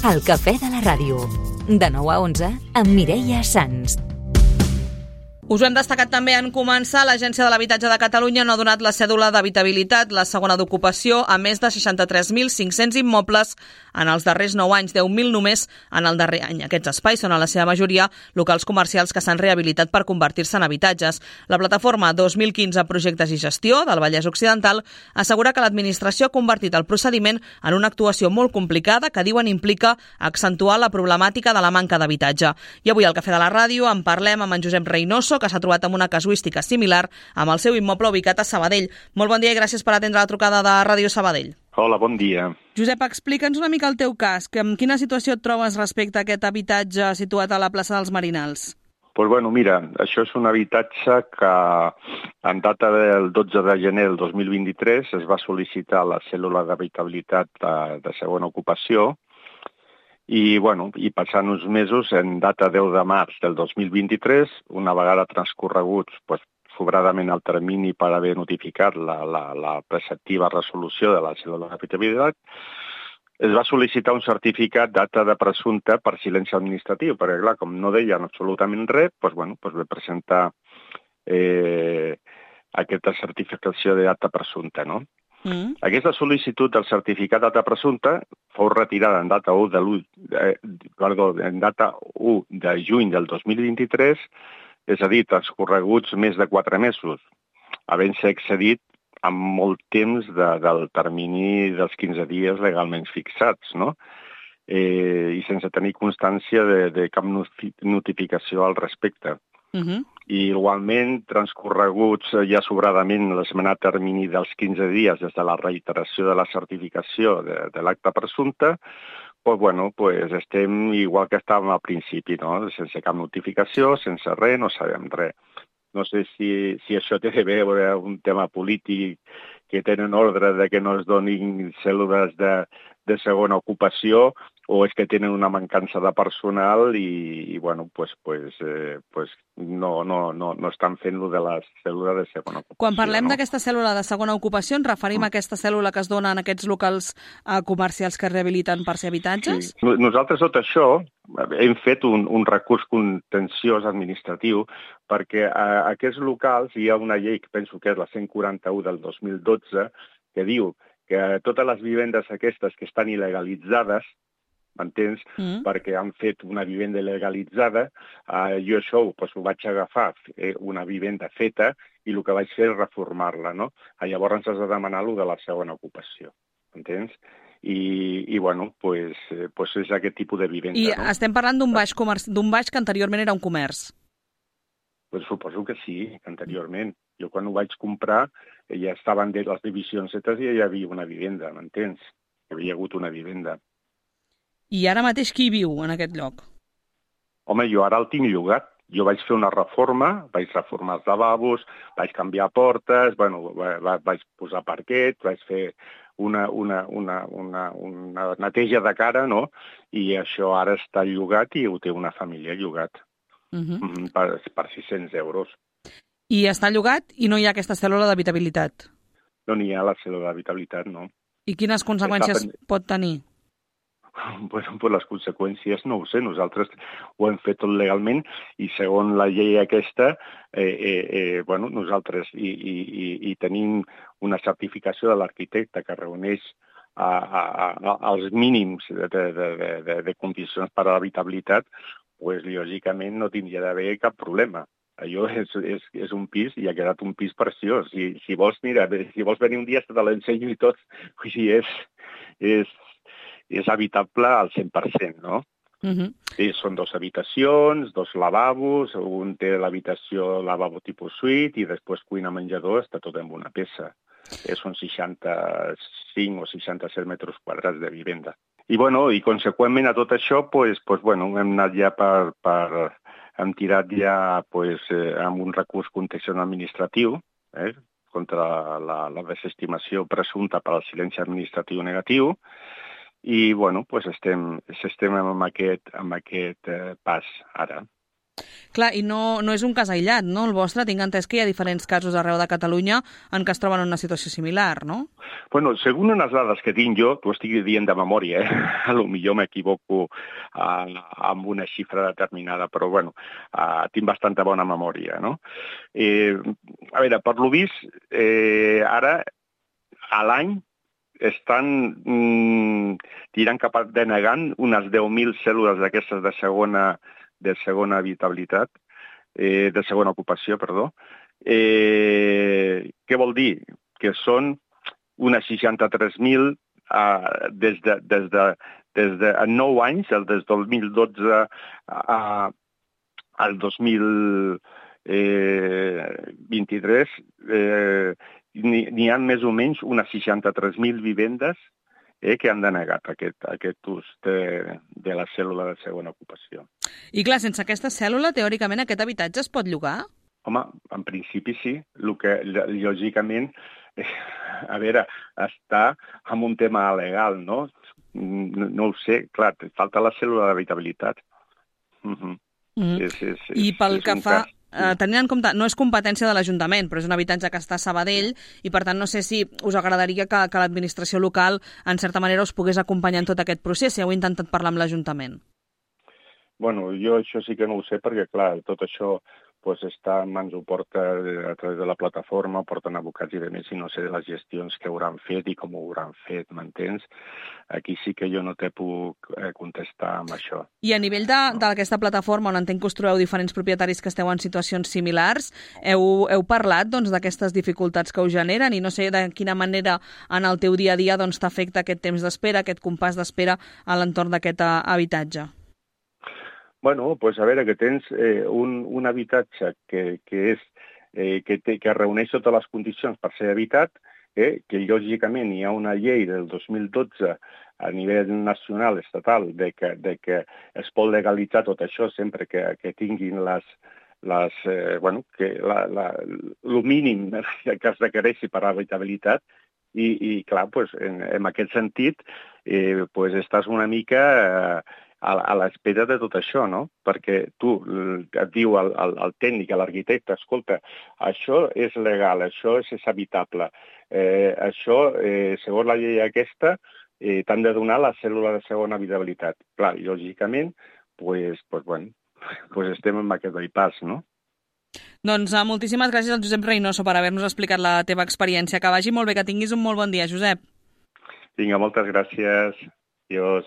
El cafè de la ràdio. De 9 a 11 amb Mireia Sans. Us ho hem destacat també en començar. L'Agència de l'Habitatge de Catalunya no ha donat la cèdula d'habitabilitat, la segona d'ocupació, a més de 63.500 immobles en els darrers 9 anys, 10.000 només en el darrer any. Aquests espais són, a la seva majoria, locals comercials que s'han rehabilitat per convertir-se en habitatges. La plataforma 2015 Projectes i Gestió del Vallès Occidental assegura que l'administració ha convertit el procediment en una actuació molt complicada que diuen implica accentuar la problemàtica de la manca d'habitatge. I avui al Cafè de la Ràdio en parlem amb en Josep Reynoso, que s'ha trobat amb una casuística similar amb el seu immoble ubicat a Sabadell. Molt bon dia i gràcies per atendre la trucada de Ràdio Sabadell. Hola, bon dia. Josep, explica'ns una mica el teu cas. En quina situació et trobes respecte a aquest habitatge situat a la plaça dels Marinals? Pues bueno, mira, això és un habitatge que en data del 12 de gener del 2023 es va sol·licitar la cèl·lula d'habitabilitat de segona ocupació i passant uns mesos, en data 10 de març del 2023, una vegada transcorreguts sobradament el termini per haver notificat la preceptiva resolució de la cèl·lula d'habitabilitat, es va sol·licitar un certificat d'acte de presumpte per silenci administratiu, perquè, clar, com no deien absolutament res, vam presentar aquesta certificació d'acte presumpte, no? Aquesta sol·licitud del certificat d'acte presumpte fou retirada en data 1 de juny del 2023, és a dir, transcorreguts més de 4 mesos, havent-se excedit amb molt temps del termini dels 15 dies legalment fixats, no? I sense tenir constància de cap notificació al respecte. I igualment, transcorreguts ja sobradament l'esmenat termini dels 15 dies des de la reiteració de la certificació de l'acte presumpte, estem igual que estàvem al principi, no? Sense cap notificació, sense res, no sabem res. No sé si això té a veure amb un tema polític, que tenen ordre de que no es donin cèl·lules de segona ocupació, o és que tenen una mancança de personal i no estan fent-lo de la cèl·lula de segona ocupació. Quan parlem d'aquesta cèl·lula de segona ocupació, ens referim a aquesta cèl·lula que es dona en aquests locals comercials que es rehabiliten per ser habitatges? Sí. Nosaltres tot això hem fet un recurs contenciós administratiu perquè a aquests locals hi ha una llei, que penso que és la 141 del 2012, que diu que totes les vivendes aquestes que estan il·legalitzades, m'entens? Perquè han fet una vivenda legalitzada, jo això ho vaig agafar, una vivenda feta, i el que vaig fer és reformar-la, no? Llavors has de demanar lo de la segona ocupació, m'entens? I és aquest tipus de vivenda. I estem parlant d'un baix que anteriorment era un comerç. Suposo que sí, anteriorment. Jo quan ho vaig comprar ja estaven les divisions fetes i ja hi havia una vivenda, m'entens? Hi havia hagut una vivenda. I ara mateix qui viu en aquest lloc? Home, jo ara el tinc llogat. Jo vaig fer una reforma, vaig reformar els lavabos, vaig canviar portes, vaig posar parquet, vaig fer una neteja de cara, no? I això ara està llogat i ho té una família llogat per 600 euros. I està llogat i no hi ha aquesta cèl·lula d'habitabilitat? No n'hi ha la cèl·lula d'habitabilitat, no. I quines conseqüències pot tenir? Les conseqüències no ho sé, nosaltres ho hem fet tot legalment i segons la llei aquesta, nosaltres i tenim una certificació de l'arquitecte que reuneix els mínims de condicions per a l'habitabilitat, lògicament no tindria d'haver cap problema. Allò és un pis i ha quedat un pis preciós. Si vols venir un dia te l'ensenyo i tot, és habitable al 100%, no? Són 2 habitacions, 2 lavabos, un té l'habitació lavabo tipus suite i després cuina-menjador, està tot en una peça. Són 65 o 67 metres quadrats de vivenda. I conseqüentment a tot això, hem anat ja hem tirat ja amb un recurs contenciós administratiu contra la desestimació presumpta per al silenci administratiu negatiu i estem amb aquest pas ara. Clar, i no és un cas aïllat, no? El vostre, tinc entès que hi ha diferents casos arreu de Catalunya en què es troben en una situació similar, no? Bueno, según unes dades que tinc jo, t'ho estic dient de memòria, a lo millor m'equivoco amb una xifra determinada, però bueno, tinc bastanta bona memòria, no? A veure, per lo vist, ara, a l'any, estan tirant cap a denegant unes 10.000 cèl·lules d'aquestes de segona habitabilitat, de segona ocupació, perdó. Què vol dir? Que són unes 63.000 des de 9 anys, des del 2012 al 2023, n'hi ha més o menys unes 63.000 vivendes que han denegat aquest ús de la cèl·lula de segona ocupació. I clar, sense aquesta cèl·lula, teòricament, aquest habitatge es pot llogar? Home, en principi sí. El que, lògicament, a veure, està en un tema legal, no? No ho sé, clar, falta la cèl·lula d'habitabilitat. I pel que fa... Tenint en compte, no és competència de l'Ajuntament, però és un habitatge que està a Sabadell i, per tant, no sé si us agradaria que l'administració local, en certa manera, us pogués acompanyar en tot aquest procés, si heu intentat parlar amb l'Ajuntament. Bueno, jo això sí que no ho sé, perquè, clar, tot això està en mans, ho porta a través de la plataforma, porten advocats i demés, i no sé de les gestions que hauran fet i com ho hauran fet, m'entens? Aquí sí que jo no te puc contestar amb això. I a nivell d'aquesta plataforma, on entenc que us trobeu diferents propietaris que esteu en situacions similars, heu parlat d'aquestes dificultats que us generen i no sé de quina manera en el teu dia a dia t'afecta aquest temps d'espera, aquest compàs d'espera a l'entorn d'aquest habitatge? Bueno, a veure, que tens un habitatge que reuneix totes les condicions per ser habitat, que lògicament hi ha una llei del 2012 a nivell nacional, estatal, de que es pot legalitzar tot això sempre que tinguin el mínim que es requereixi per a l'habitabilitat. I clar, en aquest sentit, estàs una mica a l'espera de tot això, no? Perquè tu et diu el tècnic, l'arquitecte, escolta, això és legal, això és habitable, això, segons la llei aquesta, t'han de donar la cèl·lula de segona habitabilitat. Clar, lògicament, estem en aquest bypass, no? Doncs moltíssimes gràcies al Josep Reynoso per haver-nos explicat la teva experiència. Que vagi molt bé, que tinguis un molt bon dia, Josep. Vinga, moltes gràcies. Adiós.